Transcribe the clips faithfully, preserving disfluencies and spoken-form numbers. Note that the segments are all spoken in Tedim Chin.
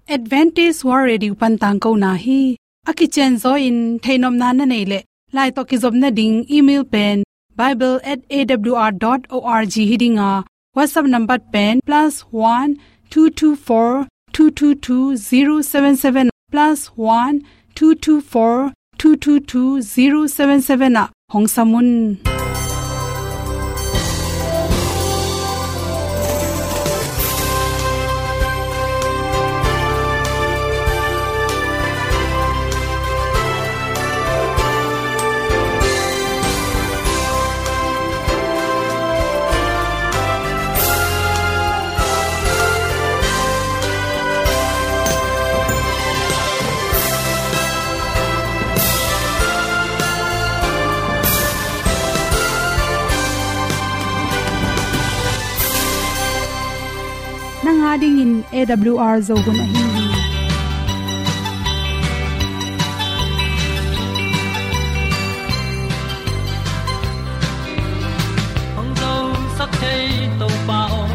Adventist World Radio pan tangkona hi. A kicianzaw in theihnopna na neih leh, lai tawh kizopna ding email pen bible at A W R dot O R G hi ding a, WhatsApp number pen plus one two two four two two two zero seven seven, plus one two two four two two two zero seven seven ah hong sam un. Nang a dingin A W R Zo hun ahi hi. Hong zosak thei Topa aw,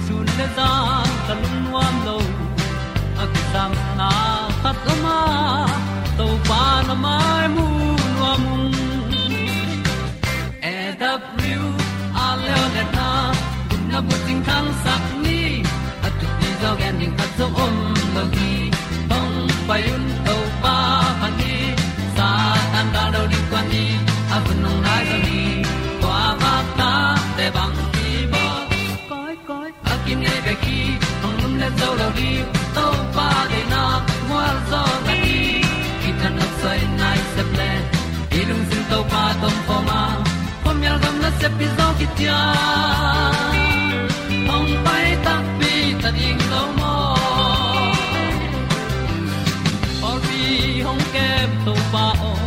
sun le zan ka lungnuam lo. A kisapna khat om a, Topa na mai mu nuam ung. A W R Leo le na, gupna bucing thangsak ni, a thupi zaw gen ding khat zong om lo hi. Hong pai un Topa phat ni, Satan gal do ding kua ni, a hun hong nai zaw hi. Kua bak ta te bang hi baw. Koi, koi, a kinei bek hi, hong lum le zo lo ding, Topa deihna mual zaw na hi. Kithat nopsai nai sep le, i lungsim Topa tawh om khawm a, khuamial gam nasep hi zaw kician. Hong pai takpi ta ding lo maw. Pawlpi hong kem Topa aw,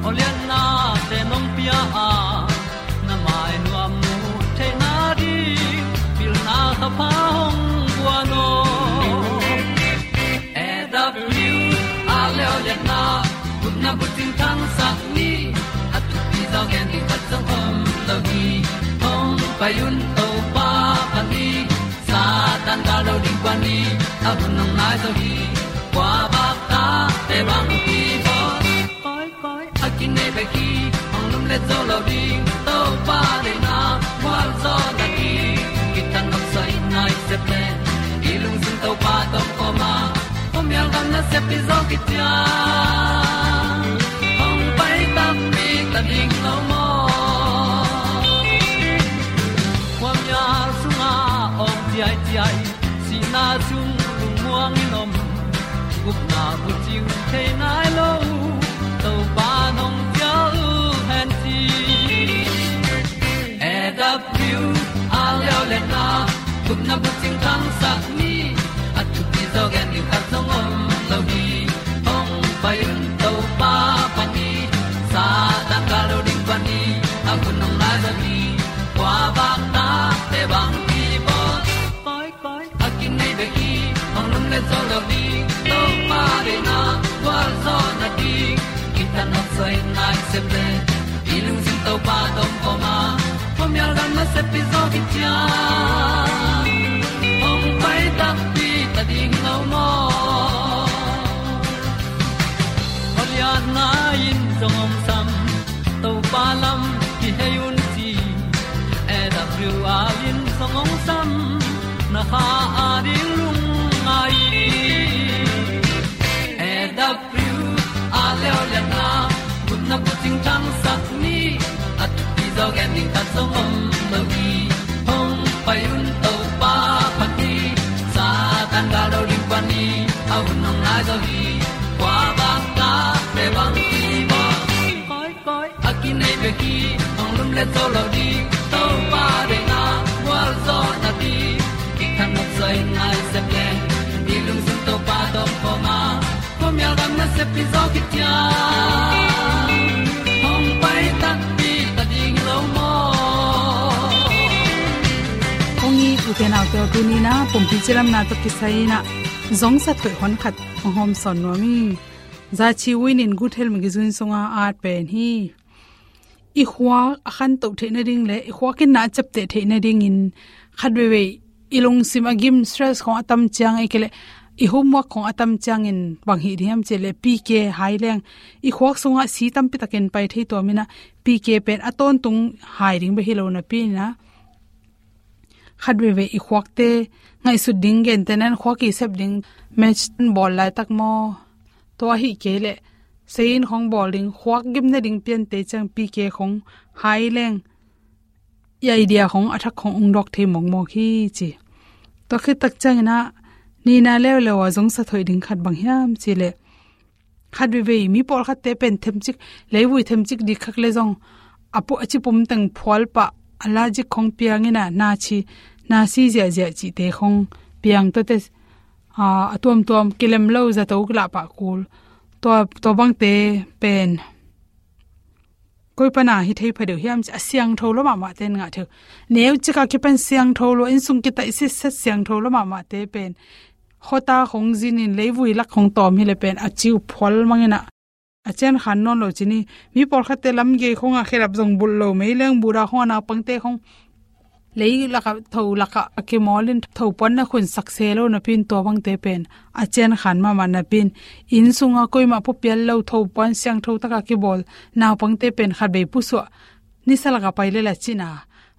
awliatna te nong pia a, na mai nuam mu theihna ding, pilna thapha hong guan aw. A W R Leo le na, gupna bucing thangsak ni, a thupi zaw gen ding khat zong om lo hi. Hong pai un Topa phat ni, Satan gal do ding kua ni, a hun hong nai zaw hi. Kua bak ta te bang hi baw. Koi, koi, a kinei bek hi, hong lum le zo lo ding, Topa deihna mual zaw na hi. Kithat nopsai nai sep le, i lungsim Topa tawh om khawm a, khuamial gam nasep hi zaw kician. Hong pai takpi ta ding lo maw. Khuamial sungah awng ciaiciai, sihna sung lungmuang in om, gupna bucing thei nai lo, Topa nong cial hen ci. A W R Leo le na, gupna bucing thangsak ni, a thupi zaw gen ding khat zong om lo hi. Hong pai un Topa phat ni, Satan gal do ding kua ni, a hun hong nai zaw hi. Kua bak ta te bang hi baw. Koi, koi, a kinei bek hi, hong lum le zo lo ding, Topa deihna gualzawhna ding, kithat nopsai nai sep le, i lungsim Topa tawh om khawm a, khuamial gam nasep hi zaw kician. Hong pai takpi ta ding lo maw. Awliatna in zong hong sam, Topa lam kihei un ci. A W R in zong hong sam, na kha a ding lungngai. A W R Leo le na, gupna bucing thangsak ni, a thupi zaw gen ding khat zong om lo hi. Hong pai un Topa phat ni, Satan gal do ding kua ni, a hun hong nai zaw hi. Kua bak ta te bang hi baw. Koi, koi, a kinei bek hi, hong lum le zo lo ding, Topa deihna gualzawhna ding, kithat nopsai nai sep le, i lungsim Topa tawh om khawm a, khuamial gam nasep hi zaw kician. Hong pai takpi ta ding lo maw. Kong it u te nau te aw, tuni in ah pumpi cilamna tawh kisai in ah zong sa thoih hon khat hong hawm sawn nuam ing. Zachi Win in Good Health magazine sungah at pen hi. I khua a khantoh theih nading le i khua kinna a ciapteh theih nadingin khat veivei i lungsim a gim, stress khawng a tam ciang, ahih kei leh i homework khong a tam ciangin bang hih ding hiam cih leh P K hai leng i khuak sungah si tampi takin pai thei tuam in ah, P K pen a tawntung hai ding bek hi lo napi in ah, khat veivei i khuakte ngaihsut ding, gentehna in khuak i sep ding, match bawl laitak maw, tua ahih kei leh sayin khong bawl ding, khuak gimna ding piante ciang P K khong hai leng i idea khong a thak khong ung dawk thei mawkmawk hi ci. Tua khit tak ciangin ah nina leuleu a zong sa thoih ding khat bang hiam cih leh, khat veivei mi pawlkhatte pen themcik, leivui themcik dikkhak le zong a pu-, a cipum teng phual pah, a lajik khong piang in ah na ci, na si ziahziah cihte khong piang, tuate, aa, a tuamtuam kilem lo, zato kilah pah kul. Tua, tua bangte pen koi pana hi thei phadeuh hiam cih, a siangtho lo mahmahte in ngah thei uh. Neu cika kipan siangtho lo, innsung kitaih sitset siangtho lo mahmahte pen khuata khong zinin leivui lak khong tawm hi leh pen a ciu phual mang in ah, a cian khan nawn lo ci ni. Mi pawlkhatte lamgei khong a khedap zong bulh lo, meileng buda khong a naupangte khong lei lakah, tho lakah a kimawl in tho puan na khun sak se lo napi in, tua bangte pen a cian khan mahmah napi in, inn sungah koimah puapial lo, tho puan siangtho takah kibawl naupangte pen khat vei pusuah, nisa lakah pai le la cina,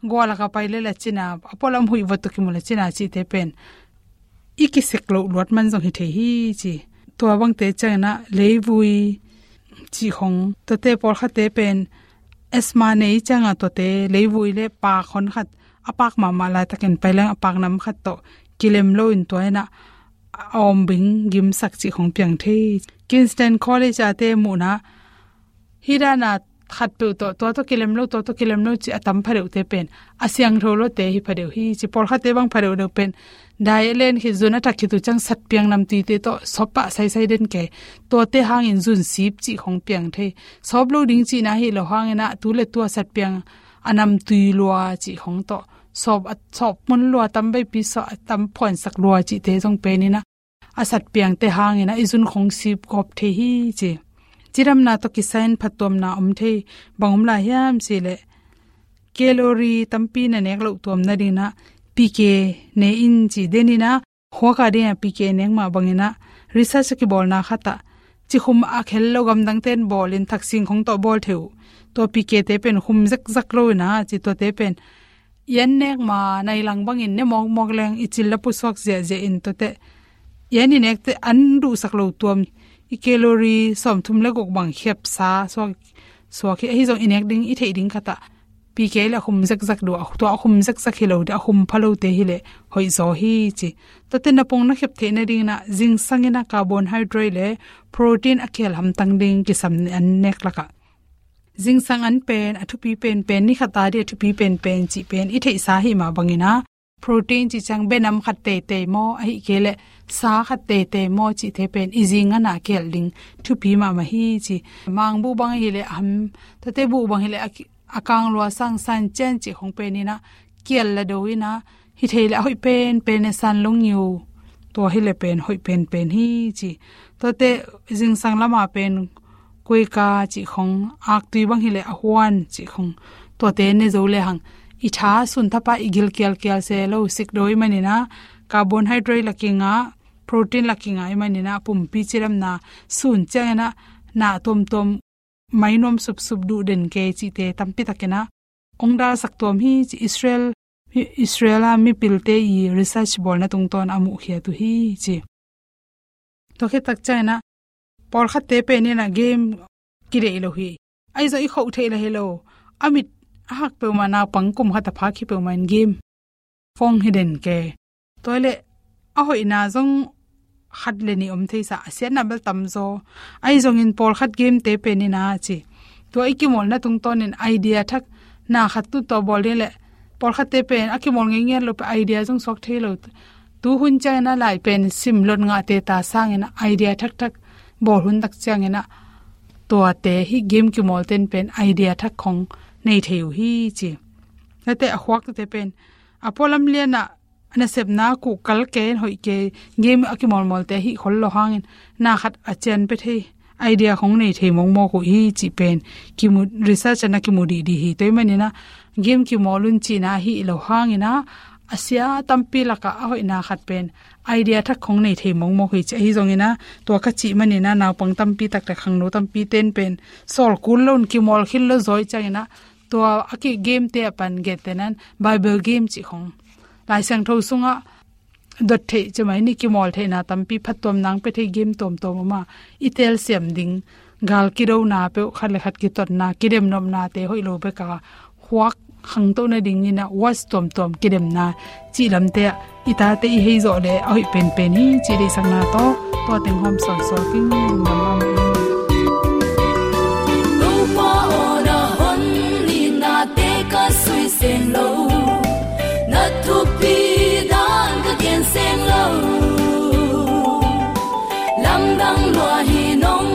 gua lakah pai le la cina, a pualam huih vot tawh kimu la cina cihte pen i kisek loh luat man zong hi thei hi ci. Tua bangte ciangin ah leivui cih khong, tuate pawlkhatte pen asthma nei ciangah tuate leivui le paak hon khat, a paak mahmah laitakin pai leng a paak nam khat tawh kilem lo in tua in ah a awm bing gimsak cih khong piang thei. Kingston College ate muhna hi dana khatpeuh tawh, tua tawh kilem lo, tua tawh kilem lo cih a tam phadeuhte pen a siangtho lote hi phadeuh hi ci. Pawlkhatte bang phadeuh deuh pen diet len khit, zun a thak khit uh ciang satpiang namtuite tawh sawp pah saisai den kei. Tuate hangin zun sip cih khong piang thei. Sawp lo ding cihna hi lo hangin ah tu le tu a satpiang a namtui lua cih khong tawh sawp, a sawp mun lua, tam veipi sawp, a tam phuansak lua cihte zong pen in ah a satpiangte hangin ah i zun khong sip gawp thei hi ci. Cidamna tawh kisai in phattuamna om thei. Bang om lai hiam cih leh, calorie tampi na nek loh tuam nadingin ah P K ne in ci. Den in ah khuak a dingin ah P K nek mah bangin ah research a kibawlna khat ah, ci khum a khel lo gamdangte in bawl in, thaksing khong tawh bawl thei uh. Tua P K te pen khum zekzak lo in ah ci, tuate pen i an nek ma nai lang bangin ne mawkmawk leng i cil la pusuak ziahziah in, tuate i an i nekte an duhsak lo tuam, i calorie sawmthum le guk bang khiapsa suak, suak hi. Ahi zong i nek ding, i theih ding khat ah P K le a khum zekzak duh, tua a khum zekzak hi lo ding, a khum pha lote hi leh hoih zaw hi ci. Tuate na pong na khep theih nadingin ah zingsang in ah carbohydrate le protein a khel hamtang ding kisam an nek lakah zingsang an pen a thupi penpen, ni khat a ding a thupi penpen cih pen i theihsa ahih mah bangin ah, protein cih ciang benam khat teitei maw, ahih kei leh sa khat teitei maw cihte pen i zing an a khel ding thupi mahmah hi ci. Mangbuh bang hi leh a ham, tuate buh bang hi leh a ki-, a kang lua sang san cian cih khong pen in ah kial la do in ah, hi thei leh a hoih penpen e, san long yiu, tua hi leh pen hoih penpen hi ci. Tuate zingsang lama pen kuika cih khong, aktui bang hi leh a huan cih khong, tuate ne zo le hang i tha sun thapa i gil kialkial se lo, sik do i manin ah carbohydrate la kingah, protein la kingah i manin ah pumpi cidamna sun ciangin ah na tuamtuam mai nuam supsup duh den kei cihte tampi takin ah ong dalsak tuam hi ci. Israel, Israel a mipilte i research bawlna tungtawn a muhkhiat uh hi ci. Tua khit tak ciangin ah pawlkhatte pen in ah game kideih lo hi. Ahi zong i khoh theih la hi lo. A mit a hak peuhmah, naupang kum khat a phak hi peuhmah in game phone hi den kei. Tua leh a hoihna zong khat le nih om thei sa, a siatna bel tam zaw. Ahi zongin pawlkhat game te pen in ah ci, tua i kimawlna tungtawnin idea thak, na khat tu tawh bawl ding leh, pawlkhatte pen a kimawl ngei ngiat lo pen idea zong suak thei lo. Tu hun ciangin ah lai pen sim lot ngahte ta sangin ah idea thakthak bawl hun tak ciangin ah tuate hi game kimawlte'n pen idea thak khong nei thei uh hi ci. Tuate a khuakte pen a pualam lian ah nasepna kuh kal kei in hoih kei, game a kimawlmawlte hih khol lo hangin na khat a cian pia thei, idea khong nei thei mawkmawk uh hi cih pen kimu, research ah na kimu dihdih hi. Tua ahih manin ah game kimawl un cihna ahih lo hangin ah a sia tampi lakah a hoihna khat pen idea thak khong nei thei mawkmawk hi ci. Ahi zongin ah tua ka cih manin ah naupang tampi takte khangno tampi ten pen sawl kul loin kimawl khil lo zaw i ciangin ah tua a ki game te a pan gen te nan Bible game cih khong Lai Siangtho sungah dot theih ci mai ni, kimawl theihna tampi phattuam nang pia thei game tuamtuam om a, i telsiam ding gal kidona peuh, khat le khat kitotna, kidemnopnate hoih lo bek a huak khangto nadingin ah watch tuamtuam kidemna cih lamte ah i tate i hei zawh leh a hoih penpen hi cih deihsakna tawh tua teng hawm sawnsawn kingdam a mah in. Topa aw, na hon nitnate ka sui seng lo, na thupi dan ka gen seng lo. Lamdang lua hi, nong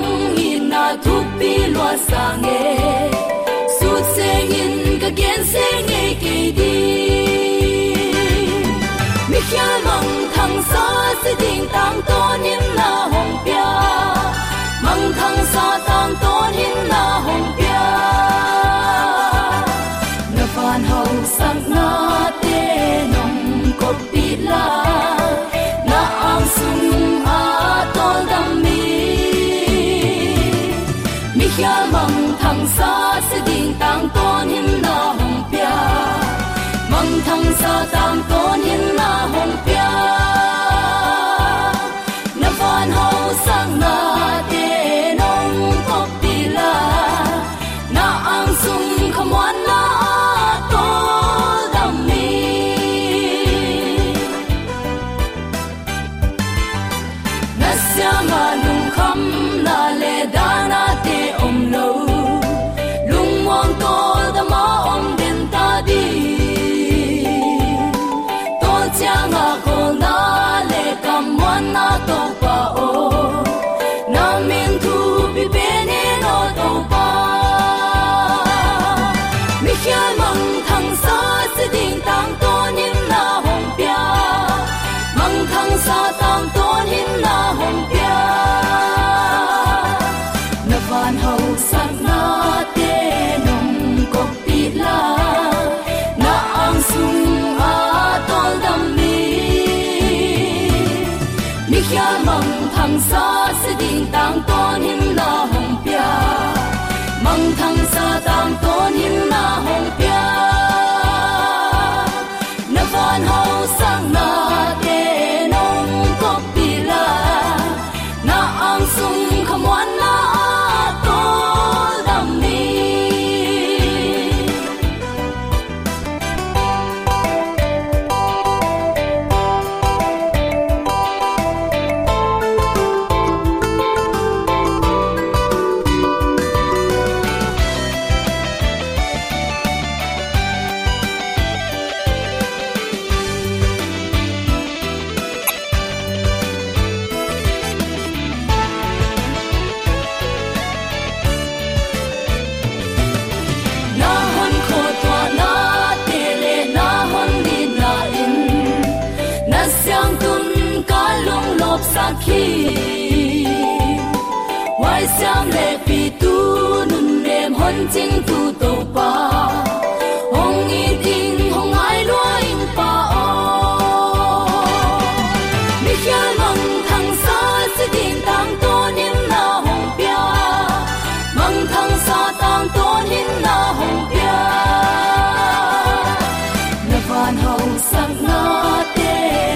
itna thupi lua sang e, sut sengin ka gen seng ngei kei ding. Mikhial mangthangsa si ding tangtawnin na hong pia, mangthangsa tangtawnin na hong pia. Na van hausaknate nong koppih la, na ang sung a tawldam mi. Mikhial mangthangsa si ding tangtawnin na hong pia, mangthangsa tangtawnin na hong pia. Na van hausaknate nong koppih la, na ang sung khamuanna a tawldam mi. Na siangah lungkhamna le danate om lo, lungmuang tawldam a om den ta ding. Tua ciangah kholna le kammuanna Topa aw, na min thupi pen in aw Topa. Mikhial mangthangsa si ding tangtawnin na hong pia, mangthangsa tangtawnin na hong pia. Na van hausaknate nong koppih la, na ang sung a tawldam mi. Mikhial mangthangsa si ding tangtawnin na hong pia, mangthangsa tangtawnin na hong pia. Na van hausaknate nong koppih la, na ang sung khamuanna a tawldam mi. Na hon khuatuahnate le na hon nitna in na siangtun ka lunglawpsak hi. Huaisiam le pitu nunnem hon cingtu Topa, hong it in, hong ngai lua in Pa aw. Mikhial mangthangsa si ding tangtawnin na hong pia, mangthangsa tangtawnin na hong pia. Na van hausaknate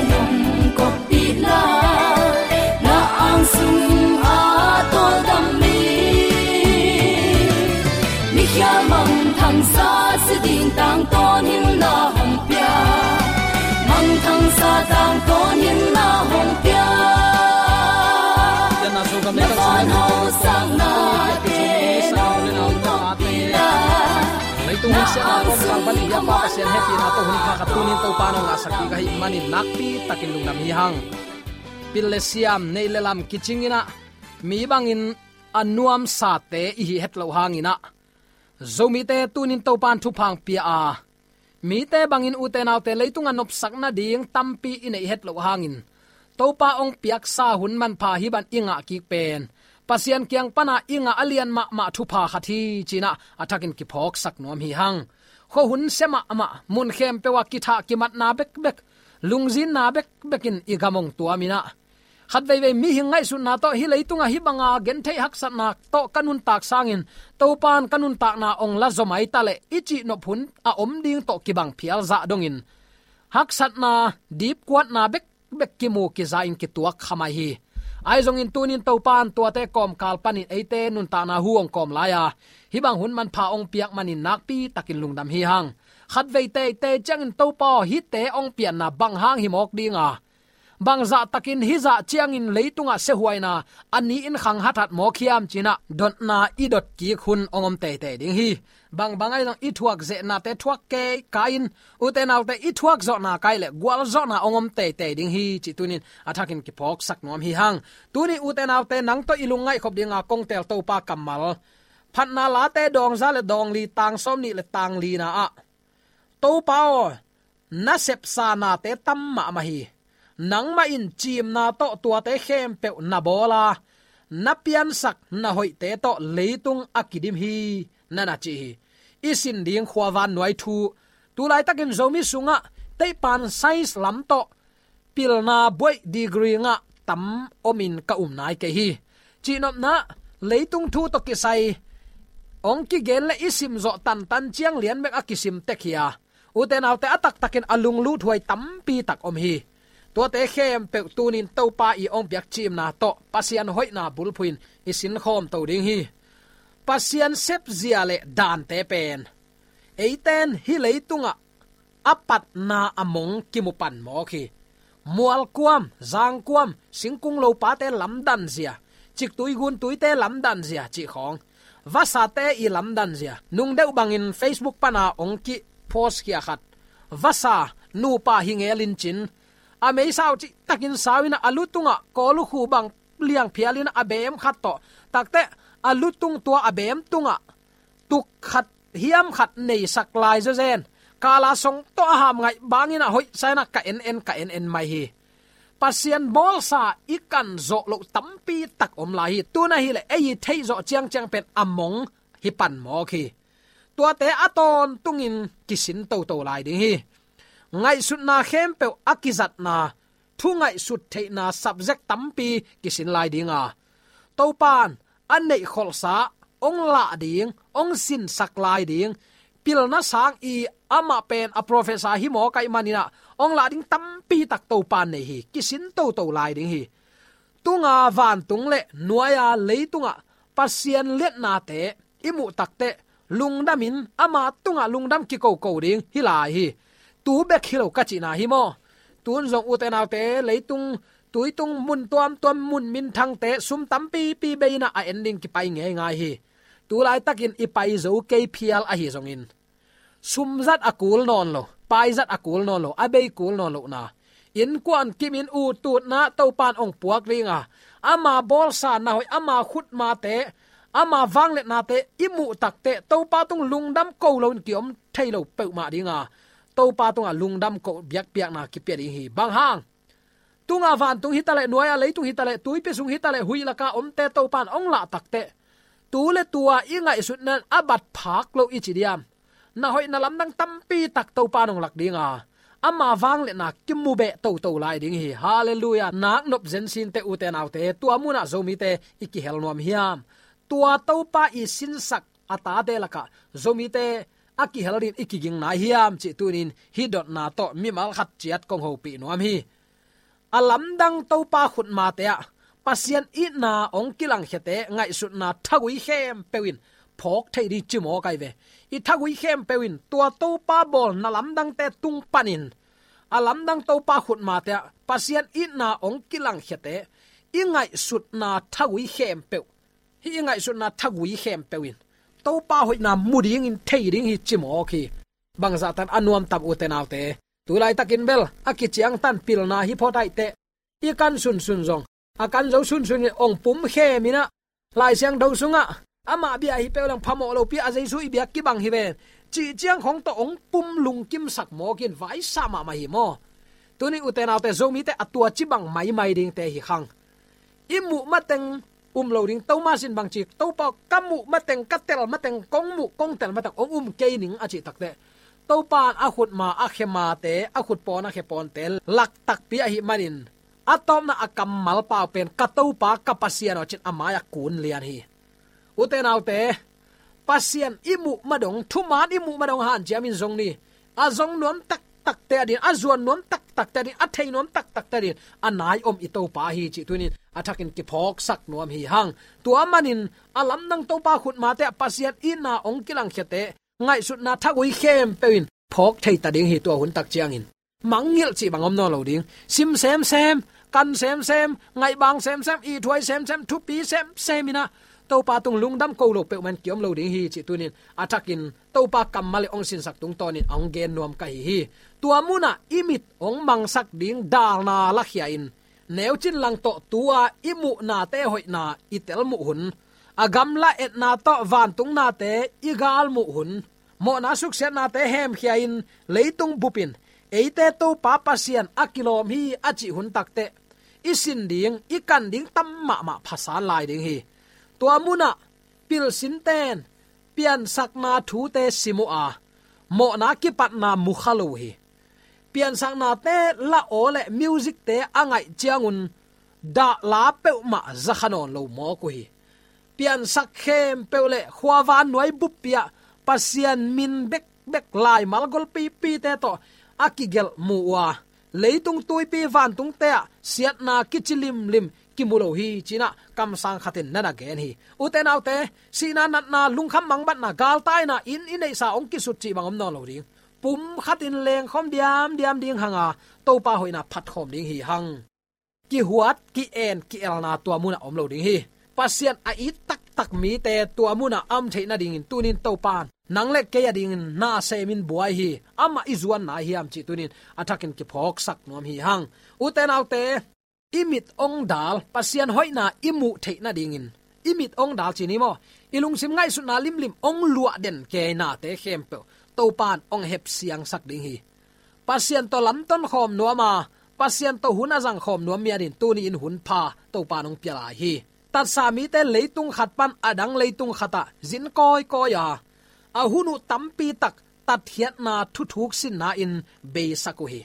nong kop pih la, na ang sung a tawldam mi. Mikhial mangthangsa si ding tangtawnin na hong pia, mangthangsa tangtawnin na hong pia. Na van hausaknate nong kop pih la, leitung hun siatna tawh bang bang i biakpa Pasian hehpihna tawh hun pha khat tunin Topa nong ngahsak ding ka hih manin nakpi takin lungdam hi hang. Pil le siam, neih le lam kicingin ah mi bangin a nuamsate i hih het loh hangin ah Zomite tunin Topa in thupha hong pia a, mite bangin ute naute leitung a nopsak nading tampi i neih het loh hangin Topa hong piaksa hun manpha hi bang i ngah kik pen Pasian kiang pana i ngah a lian mahmah thupha khat hi ci-in ah a thakin kiphawksak nuam hi hang. khuahun sia mahmah, mun khempeuh ah kithah kimatna bekbek, lungzinna bekbek in i gam hong tuam in ah, khat veivei mihing ngaihsutna tawh hih leitungah hih banga gentheih haksatna tawh ka nuntak sangin Topa in ka nuntakna hong la zaw mai ta leh i cihnop hun a om ding tawh kibang phial zah dongin haksatna, dipkuatna bekbek kimu kiza in kituak kha mai hi. Ahi zongin tuni-in Topa in tuate kawmkal panin eite nuntakna hu hong kawm lai a, hih bang hun manpha hong piak manin nakpi takin lungdam hi hang. Khat vei teitei ciangin Topa aw, hihte hong pianna bang hang hi mawk ding a, bang zahtakin hih zah ciangin leitungah siahuaina a ni-in khang hathat mawk hiam ci-in ah dotna i dot kik hun hong om teitei ding hi. Bangbang ahi zong i thuak zehnate thuak kei ka in, ute naute, i thuak zawhna ka hih leh gualzawhna hong om teitei ding hi cih tuni-in a thakin kiphawksak nuam hi hang. Tuni ute naute, nang tawh i lungngaih khop dinga kong teel Topa kammal, Phatna Late dawng za le dawng li, tang sawmnih le tang lina ah, Topa aw, na sepsa nate tam mahmah hi. Nangmah in ciimna tawh tuate khempeuh na bawl a, na piansak na hoihte tawh leitung a kidim hi, na na ci hi. I sin ding khuavan nuai thu. Tulaitakin Zomi sungah teihpan science lam tawh pilna buaih degree ngah tam omin ka um nai kei hi. Cihnopna, leitung thu tawh kisai hong kigen le i simzawh tantan ciang lian bek a kisim tek hi a, ute naute, a taktakin a lungluthuai tampi tak om hi. Tuate khempeuh tuni-in Topa i hong piak ciimna tawh Pasian hoihna bulphuh in i sinkhawm to ding hi. Pasian sepzia le dante pen eite in hih leitungah a patna a mong kimu pan mawk hi. Mualkuam, zangkuam, singkung lopate lamdanzia, ciktui guntuite lamdanzia cih khawng, vasate i lamdanzia, nungdeuh bangin Facebook pana hong kipost khia khat, vasa nupa hi ngel in cin, a meisa uh cihtakin sau in ah, a lu tungah kawlukhu bang liangphial in ah, a beem khat tawh, takteh a lu tung tua a beem tungah tuk khat hiam khat neisak lai zawzen, kala song tawh a ham ngaih bangin ah hoihsa in ah ka en en, ka en en mai hi. Pasian bawlsa i kan zawh loh tampi tak om lai hi. Tun ahih leh ei i theih zawh ciangciang pen a mong hi pan mawk hi. Tuate a tawntungin kisin toto lai ding hi. Ngaihsutna khempeuh a kizatna, thu ngaihsut theihna subject tampi kisin lai ding a, Topa in a neihkholhsa hong lah ding, hong sinsak lai ding, pilna sang i, amah pen a professor hi mawk ahih manin ah hong lah ding tampi tak Topa in nei hi. Kisin toto lai ding hi. Tunga vantung le nuaia leitungah Pasian liatnate i muh takteh lungdamin ama tungah lungdam kikoko ding hi lai hi. Tu bek hi lo ka cihna hi maw? Tun zong ute naute, leitung, tuitung, mun tuamtuam, mun minthangte sum tampipi bei in ah a en ding kipai ngeingai hi. Tulaitakin i pai zo kei phial ahi zongin, sum zat a kul nawn lo, pai zat a kul nawn lo, a bei kul nawn lohna, innkuan kimin, uttutna Topa in hong puak ding a, ama bawlsa na hoih, ama khutmate, ama vangliatnate i muh takteh Topa tung lungdam ko loin kiom thei lo peuhmah ding a, Topa tungah lungdam ko biakpiakna kipia ding hi. Bang hang? Tunga vantung hi taleh, nuaia leitung hi taleh, tuipi sung hi taleh, huih laka omte Topa in hong lah takteh, tu le tua i ngaihsutna in a bat phak lo i ci diam? Na hoih na lamdang tampi tak Topa in hong lak ding a, ama vangliatna kimu beh toto lai ding hi. Halleluiah. Naknop zen sinte ute naute, tua munah Zomite i kihel nuam hiam? Tua Topa i sinsak a tate lakah Zomite a kihel ding i kiging nai hiam cih tuni-in hih dotna tawh mimal khat ciat kong hopih nuam hi. A lamdang Topa khutmate ah Pasian itna hong kilangkhiate ngaihsutna thagui khempeuh in phawk thei ding ci mawk ahi ve. I thagui khempeuh in tua Topa bawl na lamdangte tung panin a lamdang Topa khutmate ah Pasian itna hong kilangkhiate i ngaihsutna thagui khempeuh, hih i ngaihsutna thagui khempeuh in Topa hoihna mu dingin thei ding hi ci mawk hi. Bangzah tan a nuam tam ute naute. Tulaitakin bel a kiciangtan pilna hi phot aih teh, i kan sunsun zong, a kan zo sunsun in hong pum khem in ah, Lai Siangtho sungah, amah bia hi peuh leng phamawh lopi a Jesu i biak kibang hi ven, cih ciang khong tawh hong pum lungkimsak mawk in vaisa mahmah hi maw? Tuni ute naute, Zomite a tua ci bang maimai dingte hi khang. I muh mateng um lo ding, Thomas in bang ci, Topa aw, ka muh mateng, ka tel mateng, kong muh, kong tel mateng hong um kei ning a cih takteh, Topa in a khutma a khemate, a khutpawn a khepawnte lak takpi ahih manin, a tawpna a kammal pau pen, "Ka Topa, ka Pasian aw," ci-in a mai-ah kun lian hi. Ute naute, Pasian i muh ma dong, thuman i muh ma dong hanciamin zong ni. A zong nuam taktakte adingin, a zuan nuam taktakte adingin, a thei nuam taktakte adingin a nai om i Topa hi cih tuni-in a thakin kiphawksak nuam hi hang. Tua manin a lamdang Topa khutmate ah Pasian itna hong kilangkhiate, ngaihsutna thagui khempeuh in phawk thei ta ding hi. Tua hun tak ciangin mangngilh cih bang om nawn lo ding. Sim semsem, kan semsem, ngaihbang semsem, ithuai semsem, thupi semsem in ah Topa tung lungdam ko lo peuhmah in kiom lo ding hi cih tuni-in a thakin Topa kammal in hong sinsak tungtawnin a hong gen nuam ka hi hi. Tua munah i mit hong mangsak ding dalna lakhia-in, neucin lang tawh tu-a i muhnate hoihna i telmuh hun, a gamla etna tawh vantung nate i galmuh hun, mawhna suksiatnate hemkhia-in leitung bupin eite Topa Pasian a kilawm hi a cih hun takteh i sin ding, i kan ding tam mahmah phasan lai ding hi. Tua munah pilsinten piansakna thute sim uh a, mawhna kipatna mu kha lo uh hi. Piansaknate la aw le musicte a ngaih ciangun dahla peuhmah za kha nawn lo mawk uh hi. Piansak khempeuh le khuavan nuai buppi-ah Pasian min bekbek, laimal golpipite tawh a kigelh mu uh a, leitung tuipi vantungte ah siatna kici limlim kimu lo hi, ci-in ah kamsang khatin na na gen hi. Ute naute, sihna, natna, lungkham mangbatna, galtaina, inn i neihsa hong kisut cih bang om nawn lo ding. Pumkhatin lengkhawm diamdiam ding hang a, Topa hoihna phatkhawm ding hi hang. Kihuat, ki-en, ki-elna tua munah om lo ding hi. Pasian a it taktak mite tua munah a om theih nadingin tuni-in Topa in nang le kei adingin na semin buai hi. Amah i zuan nai hiam cih tuni-in a thakin kiphawksak nuam hi hang. Ute naute, i mit hong dal, Pasian hoihna i muh theih nadingin, i mit hong dal ci ni maw, i lungsim ngaihsutna limlim hong luah den keinate khempeuh Topa in hong hepsiangsak ding hi. Pasian tawh lamton khawm nuam a, Pasian tawh hun a zang khawm nuam mi adingin tuni-in hun pha Topa in hong pia lai hi. Tatsa mite leitung khat pan a dang leitung khatah zin kawikawi a, a hun uh tampi tak tatkhiatna thuthuk sinna in beisak uh hi.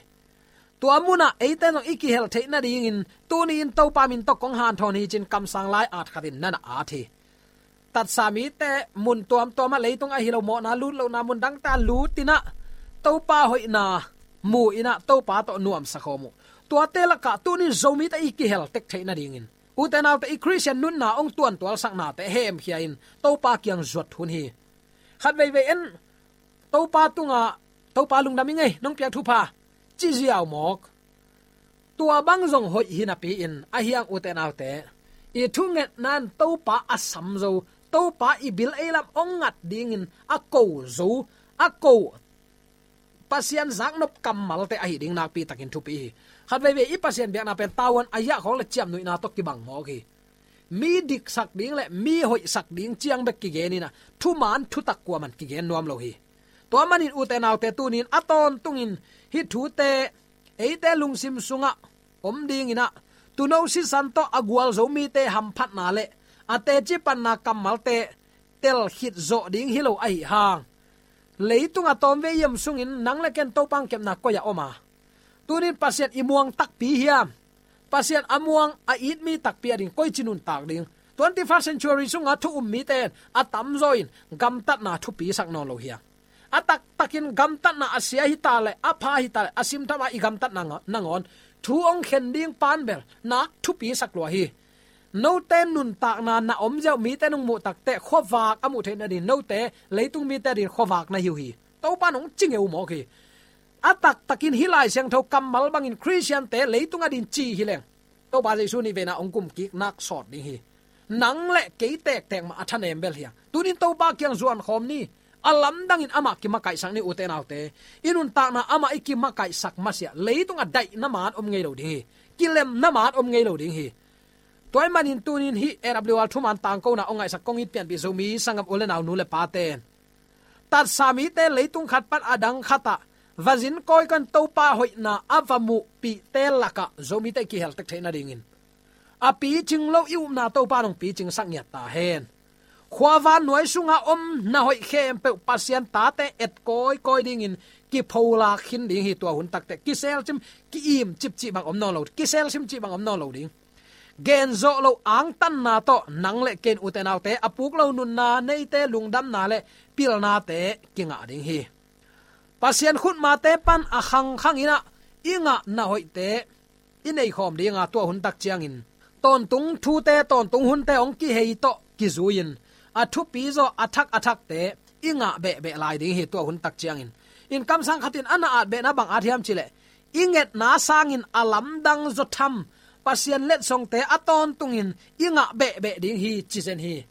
Tua munah eite zong i kihel theih nadingin tuni-in Topa min tawh kong hanthawn hi, ci-in kamsang lai at khatin na na at hi. Tatsa mite mun tuamtuamah, leitung ahi lo mawhna lut lohna mun dangte ah lut in ah Topa hoihna mu in ah Topa tawh nuamsa khawm uh. Tuate lakah tuni-in Zomite i kihel tek theih nadingin, ute naute, i Khristian nunna hong tuantualsaknate hemkhia-in Topa kiang zuat hun hi. Khat veivei en, Topa tungah, "Topa, lungdam ing ei, nong piak thupha," ci ziau mawk. Tua bang zong hoih hi napi-in, a hiang, ute naute, i thungetna in Topa a sam zo, Topa i bil ei lam hong ngat dingin a ko zo, a ko Pasian zaknop kammalte ahi ding nakpi takin thupi hi. Khat veivei i Pasian biakna pen tavuan a yiah khawng le ciamnuihna tawh kibang mawk hi. Mi diksak ding le mi hoihsak ding ciang bek kigen in ah, thuman thutak kuaman kigen nuam lo hi. Tua manin, ute naute, tuni-in a tawntungin hih thute eite lungsim sungah om dingin ah, tuuno sisan tawh a gualzo mite hamphatna le a teci panna kammalte tel khit zawh ding hi lo ahi hang. Leitung a tawmvei yam sungin nang le ken Topa hong kepna koi-ah om a? Tuni-in Pasian i muang takpi hiam? Pasian a muang, a it mi takpi ading koici nuntak ding? Twenty-first century sunga thu um mite in a tamzaw in gamtatna thupisak nawn lo hiam? A taktakin gamtatna a sia hi ta le, a pha hi ta le, a simtham a i gamtatna nga-, nangawn thu hong khen ding pan bel nak thupisak lua hi. Note nuntakna na om ziau mite nong muh takteh khuavak a muh theih nading, note leitung mite ading khuavak na hi uh hi. Topa in hong ci ngeu mawk hi. A taktakin hih Lai Siangtho kammal bangin Khristiante leitung ading ci hi leng, Topa Jesu nih veina hong kumkik nak sawt ding hi. Nang le kei tektek mah a thanem bel hi a. Tuni-in Topa kiang zuan khawm ni. A lamdangin amah kimakaihsak ni, ute naute. I nuntakna amah i kimakaihsak masiah leitung a daihna man om ngei lo ding hi. Kilemna man om ngei lo ding hi. Tua ahih manin tuni-in hih A W R thuman tangkona hong ngaihsak kong it pianpih Zomi sanggam u le nau, nu le pate in, tatsa mite leitung khat pan a dang khatah va zin kawikawi in Topa hoihna a va muhpihte lakah Zomite i kihel tek theih nadingin, a picing lo i upna Topa in hong picingsak ngiat ta hen. Khua vannuai sunga om na hoih khempeuh Pasian tate et kawikawi dingin kipholak khin ding hi. Tua hun takteh kiselsim, ki-im cipcip bang om nawn lo, kiselsim cip bang om nawn lo ding. Genzawh lo angtanna tawh nang le kei in, ute naute, a puk lo nunna neite lungdamna le pilnate kingah ding hi. Pasian khutmate pan a khangkhang in ah i ngah na hoihte i neikhawm dinga, tua hun tak ciangin tawntung thute, tawntung hunte hong kihei tawh kizui-in a thupi zaw, a thak a thakte i ngah behbeh lai ding hi. Tua hun tak ciangin in kamsang khat in a na at behna bang at hiam cih leh, i ngetna sangin a lamdang zaw tham Pasian letsongte a tawntungin i ngah behbeh ding hi, ci zen hi.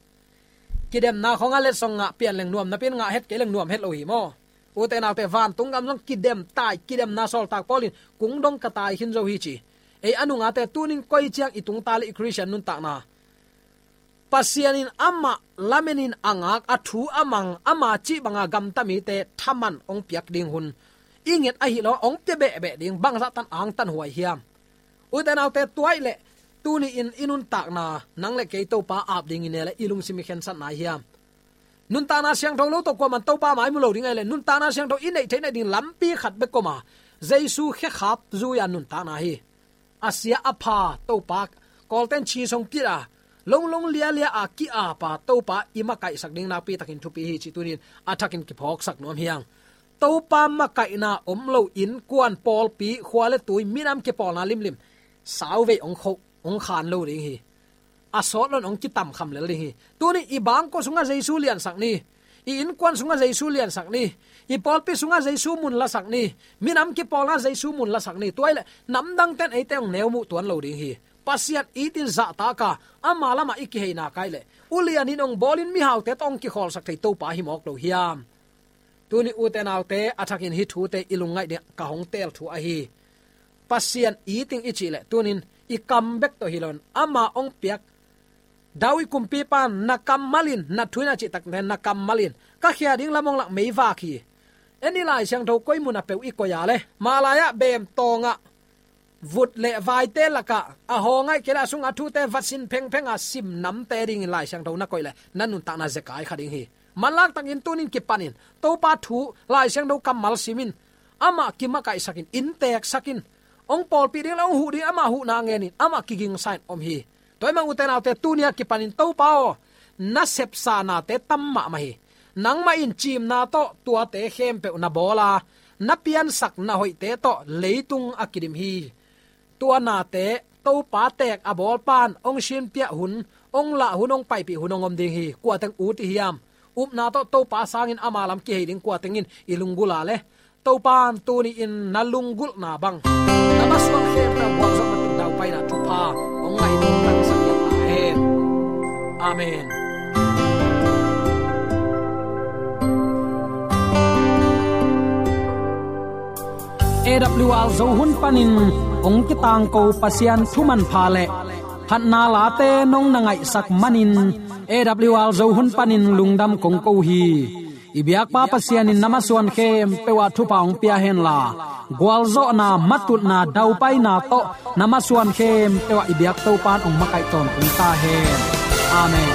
Kidemna khawng a letsong ngah pian leng nuam napi-in, ngah het kei leng nuam het lo hi maw. Ute naute, vantung gam zong kidem tai, kidemna sawltak Paul in kung dong ka tai khin zo hi ci. Ei a nungate, tunin koi ciang i tungta le i Khristian nuntakna Pasian in amah lamenin a ngak, a thu a mang, ama cih banga gamta mite thaman hong piak ding hun i nget ahi lo, hong pia behbeh ding, bangzah tan angtan huai hiam. Ute naute, tua ahih leh tuni-in i nuntakna nang le kei Topa ap ding i ne le i lungsim i khensat nai hiam. Nuntakna siangtho lo tawh kuaman Topa mai mu lo ding ahih leh, nuntakna siangtho i neih theih nading lampi khat bek om a, Jesu khekhap zui-a nuntakna hi. A sia a pha Topa, Kawlten chi song kit a, longlong lialia a ki-ap a Topa i makaihsak ding nakpi takin thupi hi cih tunin a thakin kiphawksak nuam hi hang. Topa makaihna om lo innkuan, pawlpi, khua le tui, minam kipawlna limlim sauvei hong kho, hong khan lo ding hi. A sawt lo-in hong kitamkham lel ding hi. Tuni i bangkua sungah Jesu liansak ni. I innkuan sungah Jesu liansak ni. I pawlpi sungah Jesu mun lasak ni. Minam kipawlna Jesu mun lasak ni. Tua ahih leh namdangten eite hong neu muh tuan lo ding hi. Pasian itin zahtak a, ama lamah i kihei nak ahih leh, ulianin hong bawlin mihaute tawh hong kikhawlsak thei Topa hi mawk lo hiam. Tuni ute naute, a thakin hih thute i lungngaih ding ka hong teel thu ahi. Pasian iting i cih leh tunin i kam bek tawh hi lo-in, ama hong piak David kumpipa in, na kammal in, na thu in, a cih takteh na kammal in ka khia ding lam hong lak meivak hi. En ni, Lai Siangtho koi mun a peuh i koih a le, mah lai-ah beem tawngah vut le vaite lakah a hawng ahih kei leh a sungah a thute vatsin phengpheng a sim namte dingin Lai Siangtho na koih leh na nuntakna zekai kha ding hi. Manlak takin tunin kipanin Topa thu, Lai Siangtho kammal simin, amah kimakaihsakin, innteeksakin, hong pawlpih ding le hong huh ding amah huhna ngenin amah kigingsa-in om hi. Tua ahih manin ute naute, tuni-a kipanin Topa aw, na sepsa nate tam mahmah hi. Nangmah in ciimna tawh tuate khempeuh na bawl a, na piansak na hoihte tawh leitung a kidim hi. Tua nate Topa teek a bawlpa in hong sinpiah hun, hong lah hun, hong paipih hun hong om ding hi. Kua teng ut i hiam? Upna tawh Topa sangin ama lam kihei ding kua teng in i lunggulh a le, Topa in tuni-in na lunggulhna bang, na masuan khempeuh gualzawhna tawh daupaina thupha hong ngah in hong tangsak ta hen. Amen. A W R Zo hun panin hong kitangko Pasian thu manpha le phatna late nong na ngaihsak manin, A W R Zo hun panin lungdam kong ko hi. I biakpa Pasian in na masuan khempeuh ah thupha hong pia henla, gualzawhna, matutna, daupaina tawh na masuan khempeuh ah i biak Topa in hong makaih tawntung ta hen. Amen.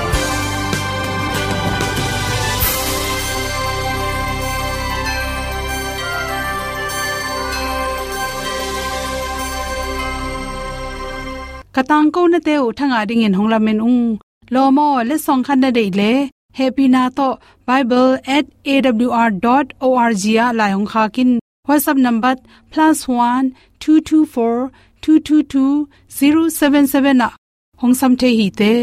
Ka tangkonate uh thangah dingin hong lamen ung. Lawm aw, letsong khat na deih leh, hehpihna tawh bible at A W R dot O R G ah lai hong khak in. WhatsApp number plus one two two four two two two zero seven seven ah hong sam thei hi te.